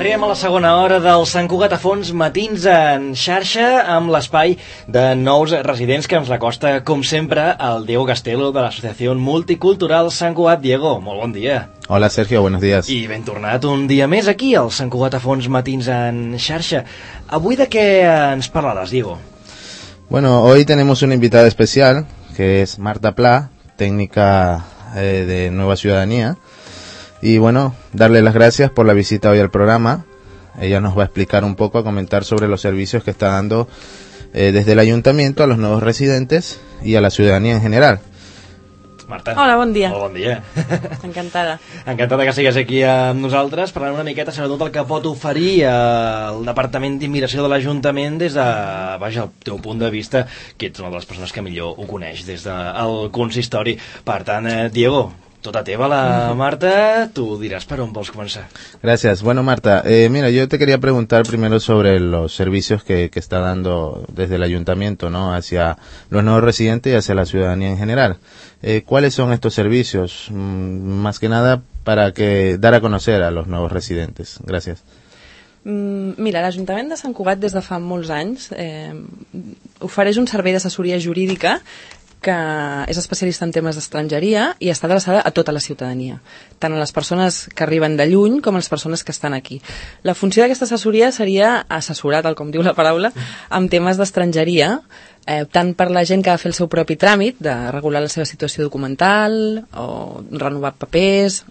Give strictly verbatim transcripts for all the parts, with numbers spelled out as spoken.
Arribem a la segona hora del Sant Cugat a Fons, matins en xarxa, amb l'espai de nous residents que ens recosta, com sempre, el Diego Castelo de l'Associació Multicultural Sant Cugat. Diego, molt bon dia. Hola Sergio, buenos días. I ben tornat un dia més aquí, al Sant Cugat a Fons, matins en xarxa. Avui de què ens parlaràs, Diego? Bueno, hoy tenemos una invitada especial, que es Marta Pla, técnica eh, de Nueva Ciudadanía. Y bueno, darle las gracias por la visita hoy al programa. Ella nos va a explicar un poco, a comentar sobre los servicios que está dando eh, desde el ayuntamiento a los nuevos residentes y a la ciudadanía en general. Marta. Hola, bon dia. Molt bon dia. Encantada. Encantada que sigues aquí amb nosaltres, parlant una miqueta sobretot el que pot oferir el Departament d'Immigració de l'Ajuntament des de, vaja, el teu punt de vista, que ets una de les persones que millor ho coneix des del consistori. Per tant, eh, Diego, tota teva la Marta, tú dirás para un vols comenzar. Gracias. Bueno, Marta, eh, mira, yo te quería preguntar primero sobre los servicios que, que está dando desde el ayuntamiento, ¿no?, hacia los nuevos residentes y hacia la ciudadanía en general. Eh, ¿Cuáles son estos servicios? Mm, más que nada para que dar a conocer a los nuevos residentes. Gracias. Mm, mira, l'Ajuntament de Sant Cugat des de fa molts anys eh, ofereix un servei d'assessoria jurídica que és especialista en temes d'estrangeria i està adreçada a tota la ciutadania, tant a les persones que arriben de lluny com a les persones que estan aquí. La funció d'aquesta assessoria seria assessorar, tal com diu la paraula, amb temes d'estrangeria, eh, tant per la gent que ha de fer el seu propi tràmit, de regular la seva situació documental, o renovar papers,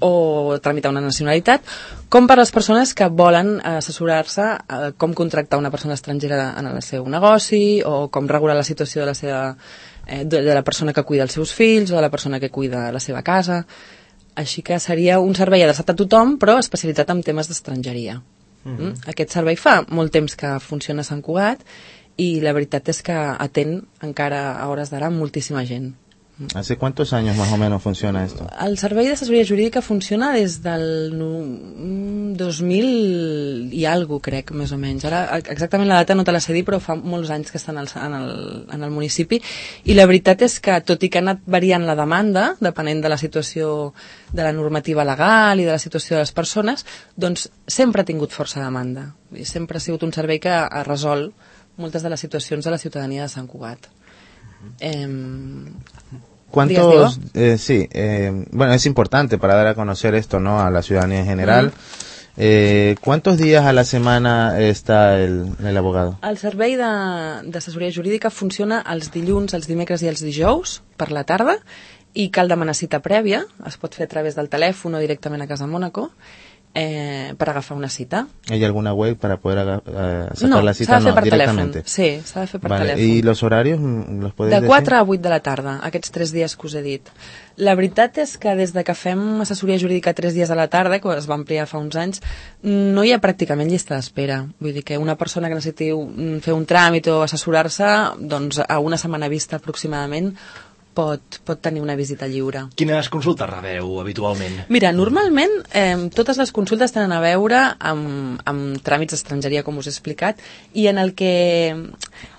o tramitar una nacionalitat, com per les persones que volen assessorar-se a com contractar una persona estrangera en el seu negoci, o com regular la situació de la seva eh, de, de la persona que cuida els seus fills o de la persona que cuida la seva casa. Així que seria un servei adreçat a tothom, però especialitzat en temes d'estrangeria. Mm-hmm. mm? Aquest servei fa molt temps que funciona a Sant Cugat i la veritat és que atén encara a hores d'ara moltíssima gent. ¿Hace cuántos años más o menos funciona esto? El servei d'assessoria jurídica funciona des del dos mil i alguna cosa, crec, més o menys. Ara, exactament la data no te la sé dir, però fa molts anys que estan en el, en el municipi. I la veritat és que, tot i que ha anat variant la demanda, depenent de la situació de la normativa legal i de la situació de les persones, doncs sempre ha tingut força demanda. I sempre ha sigut un servei que ha resolt moltes de les situacions de la ciutadania de Sant Cugat. Eh, ¿Cuántos? Eh, sí, eh, bueno, es importante para dar a conocer esto, ¿no?, a la ciudadanía en general. Mm. Eh, ¿Cuántos días a la semana está el, el abogado? El servei d'assessoria jurídica funciona els dilluns, els dimecres i els dijous per la tarda i cal demanar cita prèvia, es pot fer a través del telèfon o directament a Casa Mónaco. Eh, per agafar una cita. ¿Hay alguna web para poder uh, sacar no, la cita? No, s'ha de fer no, per directamente. telèfon. Sí, s'ha de fer per vale. telèfon. ¿Y los horarios los podeu De decir? quatre a vuit de la tarda, aquests tres dies que us he dit. La veritat és que des de que fem assessoria jurídica tres dies a la tarda, que es va ampliar fa uns anys, no hi ha pràcticament llista d'espera. Vull dir que una persona que necessiti fer un tràmit o assessorar-se, doncs a una setmana vista aproximadament, Pot, pot tenir una visita lliure. Quines consultes rebeu habitualment? Mira, normalment eh, totes les consultes tenen a veure amb, amb tràmits d'estrangeria, com us he explicat, i en el que,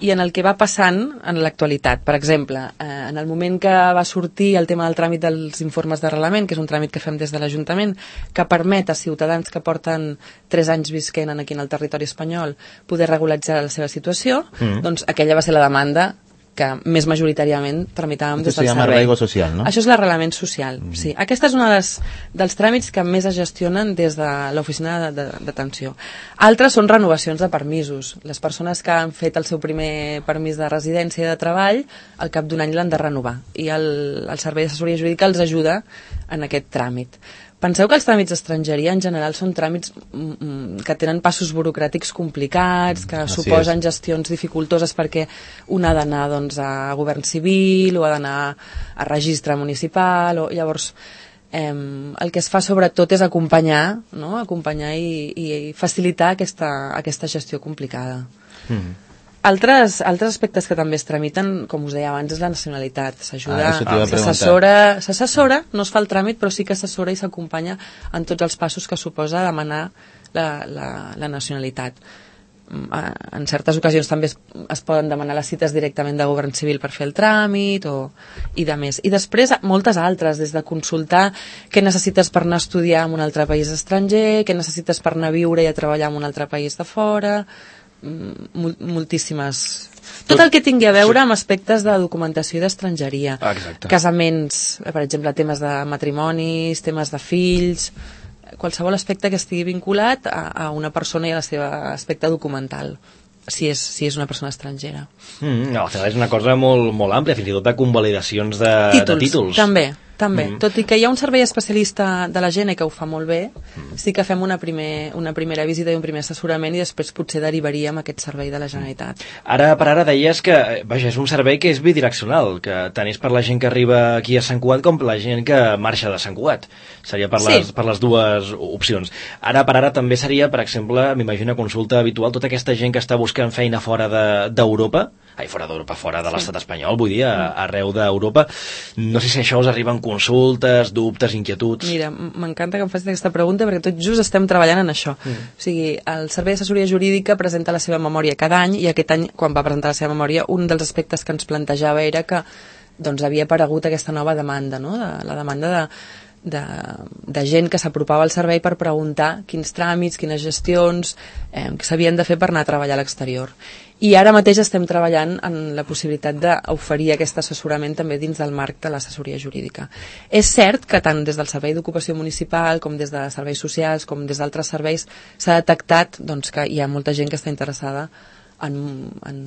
i en el que va passant en l'actualitat. Per exemple, eh, en el moment que va sortir el tema del tràmit dels informes d'arrelament, que és un tràmit que fem des de l'Ajuntament, que permet a ciutadans que porten tres anys visquent aquí en el territori espanyol poder regularitzar la seva situació, mm. doncs aquella va ser la demanda que més majoritàriament tramitàvem des del servei. Això se llama arraigo social, no? Això és l'arrelament social, mm. sí. Aquesta és una dels, dels tràmits que més es gestionen des de l'oficina d'atenció. Altres són renovacions de permisos. Les persones que han fet el seu primer permís de residència i de treball, al cap d'un any l'han de renovar. I el, el servei d'assessoria jurídica els ajuda en aquest tràmit. Penseu que els tràmits d'estrangeria en general són tràmits mm, que tenen passos burocràtics complicats, que Así suposen és. gestions dificultoses perquè un ha d'anar doncs, a govern civil o ha d'anar a registre municipal. O, llavors, eh, el que es fa sobretot és acompanyar, no? acompanyar i, i facilitar aquesta, aquesta gestió complicada. Mm. Altres, altres aspectes que també es tramiten, com us deia abans, és la nacionalitat. S'ajuda, ah, s'assessora, s'assessora, no es fa el tràmit, però sí que s'assessora i s'acompanya en tots els passos que suposa demanar la, la, la nacionalitat. en certes ocasions també es, es poden demanar les cites directament de govern civil per fer el tràmit o, i de més. I després moltes altres, des de consultar què necessites per anar a estudiar en un altre país estranger, què necessites per anar a viure i a treballar en un altre país de fora, mol, moltíssimes... Tot el que tingui a veure amb aspectes de documentació i d'estrangeria. Ah, casaments, per exemple, temes de matrimonis, temes de fills... qualsevol aspecte que estigui vinculat a, a una persona i a la seva aspecte documental, si és, si és una persona estrangera. Mm, no, al final és una cosa molt, molt àmplia, fins i tot de convalidacions de títols. De títols. També, també. Mm. Tot i que hi ha un servei especialista de la Gene que ho fa molt bé, mm. sí que fem una, primer, una primera visita i un primer assessorament i després potser derivaríem aquest servei de la Generalitat. Ara per ara deies que, vaja, és un servei que és bidireccional, que tant és per la gent que arriba aquí a Sant Cugat com per la gent que marxa de Sant Cugat. Seria per les, sí. per les dues opcions. Ara per ara també seria, per exemple, m'imagino una consulta habitual, tota aquesta gent que està buscant feina fora d'Europa, de, ai, fora d'Europa, fora de l'estat sí. espanyol, vull dir, a, arreu d'Europa. No sé si això us arriben consultes, dubtes, inquietuds... Mira, m'encanta que em facis aquesta pregunta perquè tot just estem treballant en això. Mm. O sigui, el Servei d'Assessoria Jurídica presenta la seva memòria cada any i aquest any, quan va presentar la seva memòria, un dels aspectes que ens plantejava era que doncs, havia aparegut aquesta nova demanda, no? de, la demanda de De, de gent que s'apropava al servei per preguntar quins tràmits, quines gestions eh, que s'havien de fer per anar a treballar a l'exterior. I ara mateix estem treballant en la possibilitat d'oferir aquest assessorament també dins del marc de l'assessoria jurídica. És cert que tant des del Servei d'Ocupació Municipal com des de serveis socials com des d'altres serveis s'ha detectat doncs, que hi ha molta gent que està interessada en, en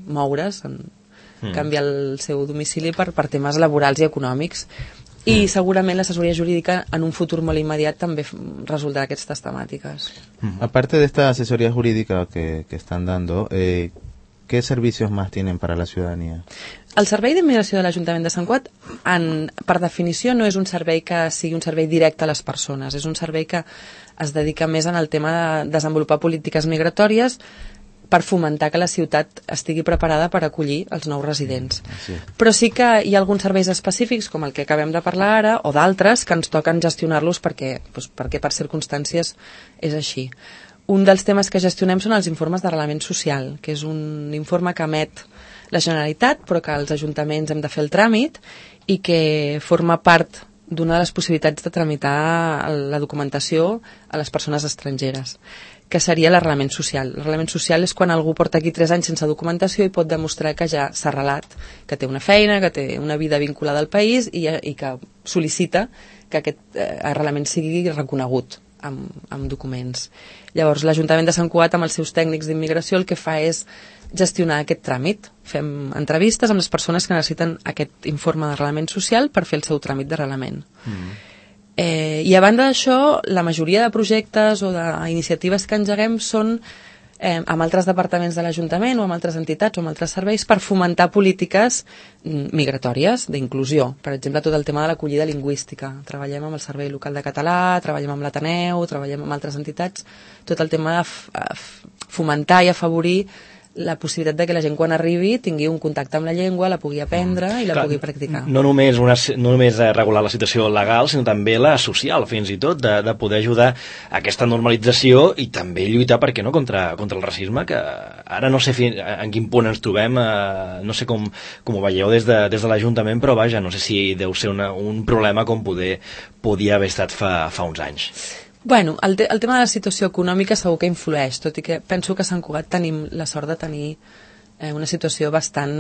moure's, en mm. canviar el seu domicili per, per temes laborals i econòmics. I segurament l'assessoria jurídica en un futur molt immediat també resoldrà aquestes temàtiques. Aparte de esta asesoría jurídica que, que están dando, eh, ¿qué servicios más tienen para la ciudadanía? El Servei d'Immigració de l'Ajuntament de Sant Cugat, en, per definició, no és un servei que sigui un servei directe a les persones. És un servei que es dedica més en el tema de desenvolupar polítiques migratòries per fomentar que la ciutat estigui preparada per acollir els nous residents. Sí. Però sí que hi ha alguns serveis específics, com el que acabem de parlar ara, o d'altres, que ens toquen gestionar-los perquè, doncs, perquè per circumstàncies és així. Un dels temes que gestionem són els informes d'arrelament social, que és un informe que emet la Generalitat, però que els ajuntaments hem de fer el tràmit i que forma part d'una de les possibilitats de tramitar la documentació a les persones estrangeres, que seria l'arrelament social. L'arrelament social és quan algú porta aquí tres anys sense documentació i pot demostrar que ja s'ha arrelat, que té una feina, que té una vida vinculada al país i, i que sol·licita que aquest eh, arrelament sigui reconegut amb, amb documents. Llavors, l'Ajuntament de Sant Cugat, amb els seus tècnics d'immigració, el que fa és gestionar aquest tràmit. Fem entrevistes amb les persones que necessiten aquest informe d'arrelament social per fer el seu tràmit d'arrelament. Mm. Eh, I a banda d'això, la majoria de projectes o d'iniciatives que engeguem són eh, amb altres departaments de l'Ajuntament o amb altres entitats o amb altres serveis per fomentar polítiques migratòries, d'inclusió. Per exemple, tot el tema de l'acollida lingüística. Treballem amb el Servei Local de Català, treballem amb l'Ateneu, treballem amb altres entitats. Tot el tema de fomentar i afavorir la possibilitat de que la gent quan arribi tingui un contacte amb la llengua, la pugui aprendre i la Clar, pugui practicar. No només, una, no només regular la situació legal, sinó també la social, fins i tot, de, de poder ajudar a aquesta normalització i també lluitar, per què no, contra, contra el racisme, que ara no sé fin, en quin punt ens trobem, eh, no sé com, com ho veieu des de, des de l'Ajuntament, però vaja, no sé si deu ser una, un problema com poder, podia haver estat fa, fa uns anys. Bueno, el, te el tema de la situació econòmica segur que influeix, tot i que penso que a Sant Cugat tenim la sort de tenir eh, una situació bastant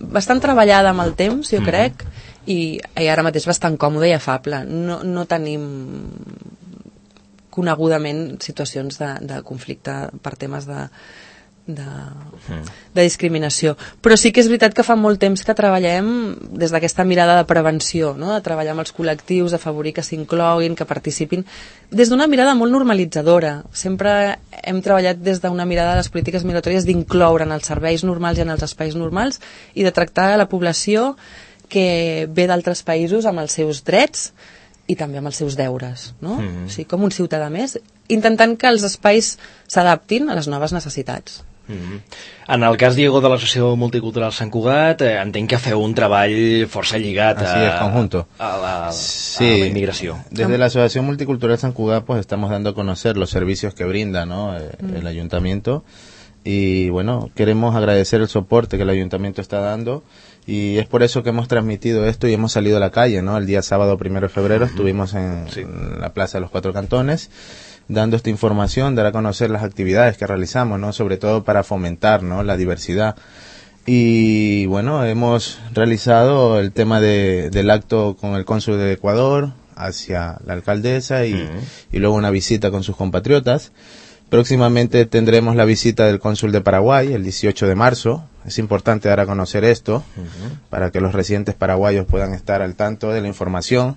bastant treballada amb el temps, jo mm. crec, i, i ara mateix bastant còmode i afable. No, no tenim conegudament situacions de, de conflicte per temes de, de, de discriminació. Però sí que és veritat que fa molt temps que treballem des d'aquesta mirada de prevenció, no? De treballar amb els col·lectius, d'afavorir que s'incloguin, que participin, des d'una mirada molt normalitzadora. Sempre hem treballat des d'una mirada de les polítiques migratòries d'incloure en els serveis normals i en els espais normals i de tractar la població que ve d'altres països amb els seus drets i també amb els seus deures, no? Mm-hmm. O sigui, com un ciutadà més, intentant que els espais s'adaptin a les noves necessitats. Mm-hmm. En el cas, Diego, de l'Associació Multicultural Sant Cugat, eh, entenc que feu un treball força lligat a, Así es, conjunto. a, la, sí, a la inmigración. Desde la Asociación Multicultural Sant Cugat pues estamos dando a conocer los servicios que brinda, ¿no? eh, Mm. el ayuntamiento, y bueno, queremos agradecer el soporte que el ayuntamiento está dando, y es por eso que hemos transmitido esto y hemos salido a la calle, ¿no? El día sábado primero de febrero uh-huh. estuvimos en, sí. en la Plaza de los Cuatro Cantones dando esta información, dar a conocer las actividades que realizamos, ¿no? Sobre todo para fomentar, ¿no? La diversidad. Y bueno, hemos realizado el tema de, del acto con el cónsul de Ecuador hacia la alcaldesa y, uh-huh. y luego una visita con sus compatriotas. Próximamente tendremos la visita del cónsul de Paraguay el dieciocho de marzo. Es importante dar a conocer esto uh-huh. para que los residentes paraguayos puedan estar al tanto de la información.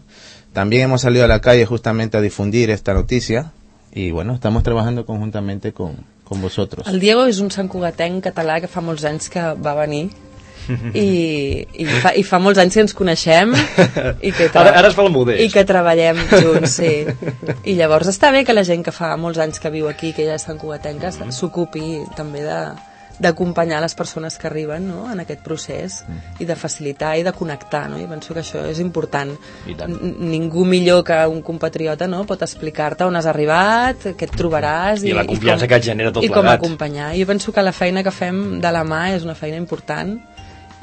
También hemos salido a la calle justamente a difundir esta noticia y bueno, estamos trabajando conjuntamente con, con vosotros. El Diego és un santcugatenc català que fa molts anys que va venir i, i, fa, i fa molts anys que ens coneixem i que, tra- ara, ara es fa el modest i que treballem junts, sí. I llavors està bé que la gent que fa molts anys que viu aquí, que ja és santcugatenca, mm. s'ocupi també de, d'acompanyar les persones que arriben, no?, en aquest procés mm. i de facilitar i de connectar, no? I penso que això és important. N- ningú millor que un compatriota, no?, pot explicar-te on has arribat, què et trobaràs i, i la confiança i com, que et genera tot i com plegat. acompanyar. Jo penso que la feina que fem de la mà és una feina important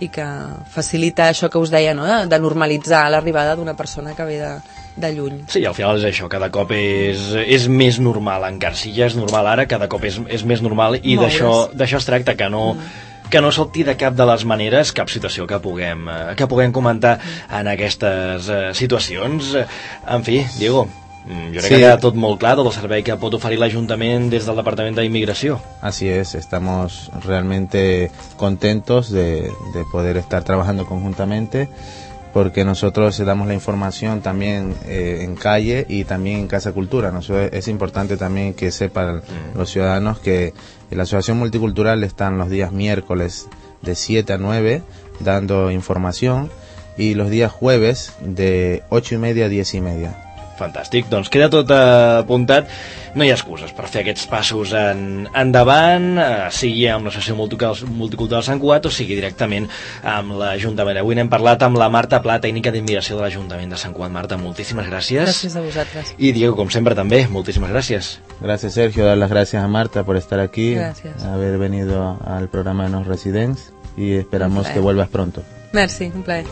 i que facilita això que us deia, no?, de, de normalitzar l'arribada d'una persona que ve de, de lluny. Sí, al final és això, cada cop és, és més normal, encara si ja és normal ara, cada cop és, és més normal i d'això, d'això es tracta, que no, mm. que no salti de cap de les maneres cap situació que puguem, que puguem comentar en aquestes uh, situacions. En fi, Diego, jo crec sí. que queda tot molt clar, tot el servei que pot oferir l'Ajuntament des del Departament d'Inmigració. Así es, estamos realmente contentos de, de poder estar trabajando conjuntamente, porque nosotros damos la información también eh, en calle y también en Casa Cultura. Nosotros, es importante también que sepan mm. los ciudadanos que en la Asociación Multicultural están los días miércoles de siete a nueve dando información y los días jueves de ocho y media a diez y media. Fantàstic, doncs queda tot apuntat. No hi ha excuses per fer aquests passos en, endavant, eh, sigui amb l'Associació Multicultural Sant Cugat o sigui directament amb l'Ajuntament. Avui n'hem parlat amb la Marta Pla, tècnica d'immigració de l'Ajuntament de Sant Cugat. Marta, moltíssimes gràcies. Gràcies a vosaltres. I Diego, com sempre també, moltíssimes gràcies. Gracias, Sergio. Dar las gracias a Marta por estar aquí, gracias. haber venido al programa de Nos Residents y esperamos que vuelvas pronto. Merci, un plaer.